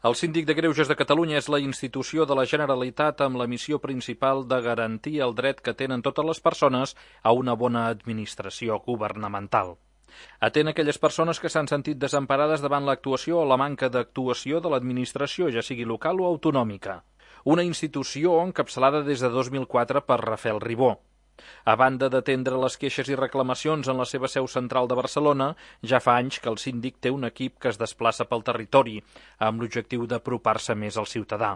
El Síndic de Greuges de Catalunya és la institució de la Generalitat amb la missió principal de garantir el dret que tenen totes les persones a una bona administració governamental. Atén aquelles persones que s'han sentit desemparades davant l'actuació o la manca d'actuació de l'administració, ja sigui local o autonòmica. Una institució encapçalada des de 2004 per Rafael Ribó. A banda d'atendre les queixes i reclamacions en la seva seu central de Barcelona, ja fa anys que el síndic té un equip que es desplaça pel territori, amb l'objectiu d'apropar-se més al ciutadà.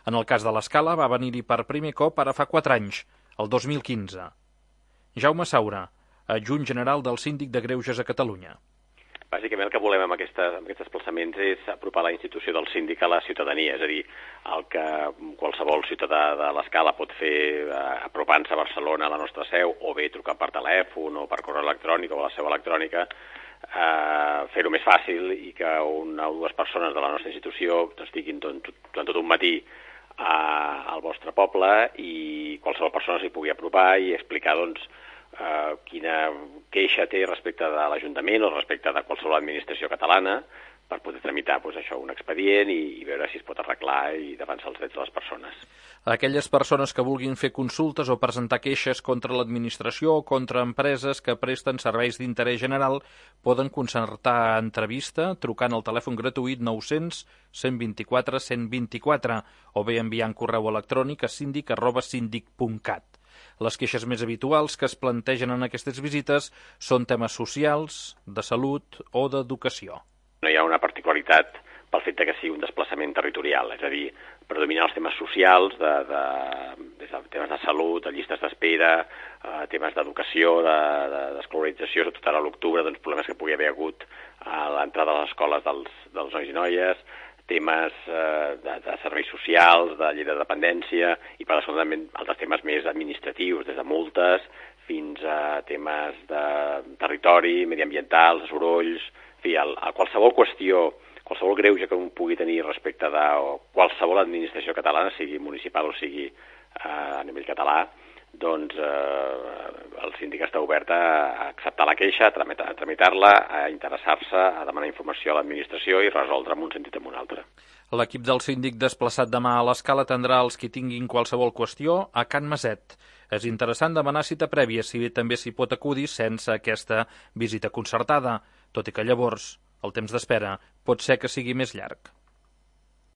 En el cas de l'Escala va venir-hi per primer cop ara fa 4 anys, el 2015. Jaume Saura, adjunt general del Síndic de Greuges a Catalunya. Bàsicament el que volem amb aquests desplaçaments és apropar la institució del síndic a la ciutadania, és a dir, el que qualsevol ciutadà de l'Escala pot fer apropant-se a Barcelona a la nostra seu, o bé trucar per telèfon o per correu electrònic o a la seu electrònica, fer-ho més fàcil i que una o dues persones de la nostra institució estiguin durant tot un matí al vostre poble i qualsevol persona s'hi pugui apropar i explicar, doncs, quina queixa té respecte de l'Ajuntament o respecte de qualsevol administració catalana per poder tramitar un expedient i veure si es pot arreglar i defensar els drets de les persones. Aquelles persones que vulguin fer consultes o presentar queixes contra l'administració o contra empreses que presten serveis d'interès general poden concertar entrevista trucant al telèfon gratuït 900 124 124 o bé enviant correu electrònic a sindic@sindic.cat. Les queixes més habituals que es plantegen en aquestes visites són temes socials, de salut o d'educació. No hi ha una particularitat pel fet que sigui un desplaçament territorial, és a dir, predominen els temes socials, des de temes de salut, de llistes d'espera, temes d'educació, d'escolarització, sobretot ara a l'octubre, doncs problemes que pugui haver hagut a l'entrada a les escoles dels nois i noies, temes de serveis socials, de llei de dependència i per això també altres temes més administratius, des de multes fins a temes de territori, mediambiental, de sorolls, en fi, a qualsevol qüestió, qualsevol greuge que un pugui tenir respecte de qualsevol administració catalana, sigui municipal o sigui a nivell català, doncs el síndic està obert a acceptar la queixa, a tramitar-la, a interessar-se, a demanar informació a l'administració i resoldre en un sentit o en un altre. L'equip del síndic desplaçat demà a l'Escala atendrà els qui tinguin qualsevol qüestió a Can Maset. És interessant demanar cita prèvia, si bé també s'hi pot acudir sense aquesta visita concertada, tot i que llavors el temps d'espera pot ser que sigui més llarg.